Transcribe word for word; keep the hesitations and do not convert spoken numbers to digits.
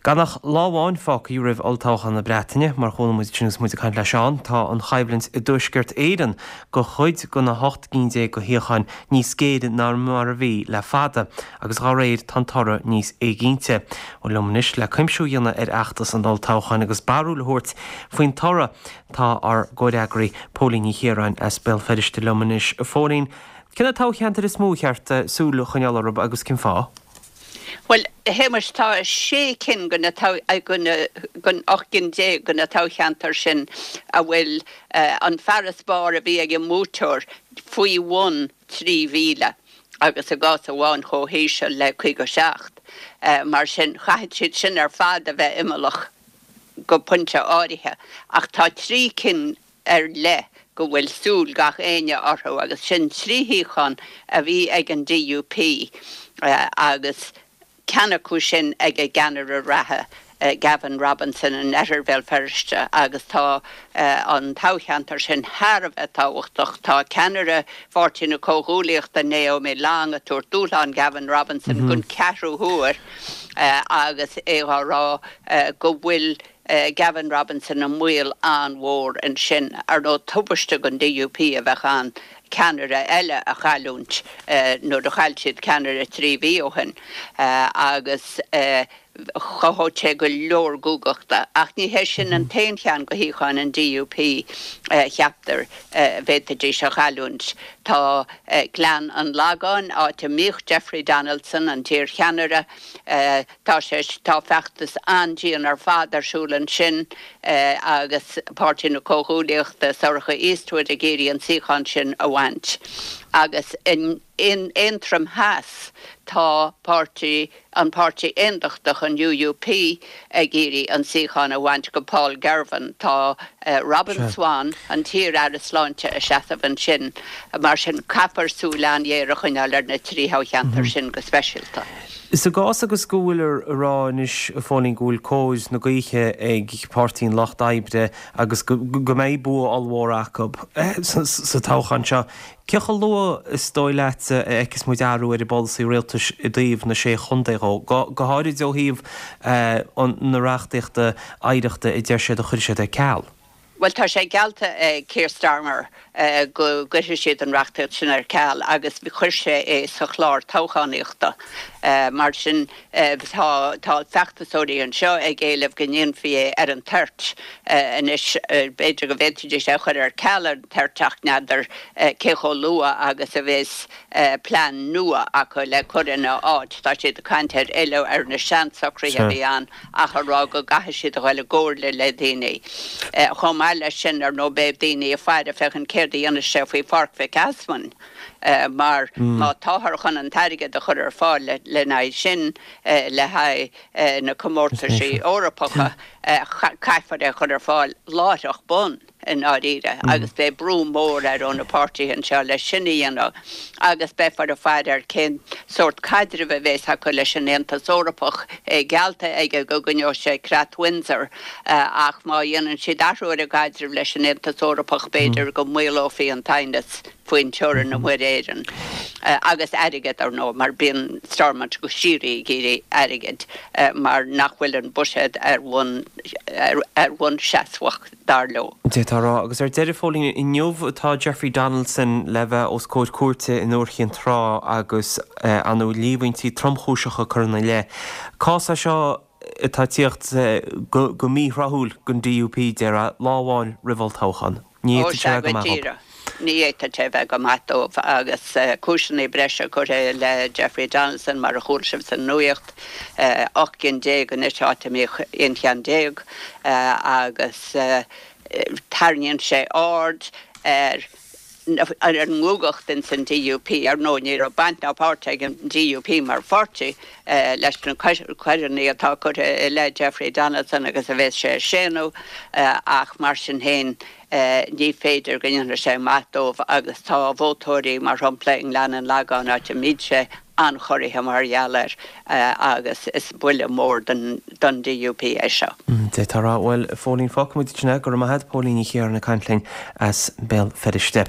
Gan ach lá amháin fágtha roimh olltoghchán na Breataine, mar chuala muid sin agus muid ag caint le Seán, tá an choimhlint i dTuaisceart Éireann do chuid de na hocht gcinn déag de shuíocháin níos géire ná mar a bhí le fada, agus dá réir tá an toradh níos éiginnte. Bhuel liom anois le cuimsiú a dhéanamh ar fheachtas an olltoghcháin agus barúil a thabhairt faoin toradh tá ár gcomhfhreagraí Póilín Ní Chiaráin as Béal Feirste liom anois. Phóilín, cé na toghcheantair is mó ar cheart súil a choinneáil orthu agus cén fáth? Bhuel, a Shéamais, tá sé cinn de na den ocht gcinn déag de na toghcheantair sin a bhfuil an farasbarr a bhí ag an mbuaiteoir faoi bhun trí mhíle agus i gcás amháin chomh híseal le caoga seacht. Mar sin, caithfidh siad sin ar fad a bheith imeallach go pointe áirithe. Ach tá trí cinn ar leith go bhfuil súil gach éinne orthu agus sin trí shuíochán a bhí ag an D U P agus ceann acu sin ag a gceannaire reatha, Gavin Robinson, in Oirthear Bhéal Feirste, agus tá an toghcheantar sin thar a bheith tábhachtach. Tá ceannaire Pháirtí na Comhghuaillíochta, Naomi Long, ag tabhairt dúshlán Gavin Robinson don ceathrú huair agus é á rá go bhfuil Gavin Robinson i mbaol an-mhór ansin. Ar ndóigh, tubaiste don D U P a bheadh ann ceannaire eile a chailliúint nuair a chaill siad ceannaire trí mhí ó shin agus chothódh sé go leor guagachta. Ach ní hé sin an t-aon cheann de shuíocháin an D U P cheaptar bhféadfaidís a chailliúint. Tá Gleann an Lagáin, áit a mbíodh Jeffrey Donaldson, an t-iarcheannaire, tá sé tá feachtas an-dian ar fad ar siúl ansin agus Páirtí na Comhghuaillíochta, Sorcha Eastwood, ag iarraidh an suíochán sin a bhaint. Agus in in Aontroim Theas tá páirtí an Páirtí Aondachtach, an U U P, ag iarraidh an suíochán a bhaint do Paul Girvan. Tá Robin Swann, an t-iar-aire sláinte, ag seasamh ansin. Mar sin caithfear súil an-ghéar a choinneáil ar na trí thoghcheantar sin go speisialta. Sa gcás agus go bhfuil a rá anois, a Phóilín, go bhfuil cóir na gaoithe ag Páirtí an Lucht Oibre agus go mbeidh bua ollmhór acu sa toghchán seo, cé chomh luath is dóigh leat a fheicfeas muid athrú ar an bpolasaí rialtais i dtaobh na sé chontae dhó, go háirid ó thaobh na reachtaíochta oidhreachta a deir siad a chuir siad ar ceal? Bhuel, tá sé geallta ag Keir Starmer go gcuirfidh siad an reachtaíocht sin ar ceal agus chuir sé é sa chlár toghchánaíochta. Mar sin tá tá feachtasóirí anseo ag éileamh go ndéanfaí é ar an toirt anois. B'fhéidir go bhféadfaidís é a chur ar ceal ar an toirt ach n'fheadar cé chomh luath agus a bheas plean nua acu le cur ina áit. Tá siad ag caint ar fhilleadh ar na seansocruithe a bhí ann ach a rá go gcaithfidh siad a dhul i gcomhairle le daoine. Chomh maith leis sin, ar ndóigh, beidh daoine ag faire féachaint céard a dhéanfaidh sé faoi Pháirc Mhic Easmainn, mar má táthar chun an t-airgead a chur ar fáil lena aghaidh sin le haghaidh na comórtaisí Eorpacha, caithfear é a chur ar fáil láithreach bonn i ndáiríre agus beidh brú mór air ó na páirtithe anseo leis sin a dhéanamh. Agus beifear ag faire ar cén sórt caidrimh a bheas acu leis an Aontas Eorpach. É geallta aige go gcoinneoidh sé Creat Windsor ach má dhéanann siad athrú ar a gcaidreamh leis an Aontas Eorpach b'fhéidir go maolófaí an t-aighneas faoin teorainn i Muir Éireann. Agus airgead, ar ndóigh, mar bíonn Stormont go síoraí ag iarraidh airgid mar nach bhfuil an buiséad ar bhonn ar bhonn seasmhach, dar leo. D'fhéadfá a rá. Agus ar deireadh, Phóilín, inniu tá Jeffrey Donaldson le bheith os comhair cúirte in Iúr Chinn Trá agus ar ndóigh líomhaintí tromchúiseacha curtha ina leith. Cás é seo atá ag tíocht go míthráthúil don D U P, déarfá, lá amháin roimh olltoghchán. Ní Ó fhéadfadh sé sea, a bheith go go maith dóibh. díreach. Ní fhéadfadh sé bheith go maith dóibh agus cúiseanna breise curtha i leith Jeffrey Donaldson, mar a chuala sibh sa nuaíocht, ocht gcinn déag anois áit a mbíodh aon cheann déag, agus tarraingíonn sé aird ar ar an nguagacht ins an D U P. Ar ndóigh, ní raibh baint ná páirt ag an D U P mar pháirtí leis na coireanna atá curtha i leith Jeffrey Donaldson agus a bheas sé ag séanadh, ach mar sin féin ní féidir go ndéanfaidh sé maith dóibh agus tá vótóirí, mar shampla i nGleann an Lagáin, áit a mbíonn sé, an-chorraithe mar gheall air agus is buille mór don don D U P é seo. D'fhéadfá a rá. Bhuel, a Phóilín, fágfaidh muid ansin é. Go raibh maith agat, Póilín Ní Chiaráin ag caint linn as Béal Feirste.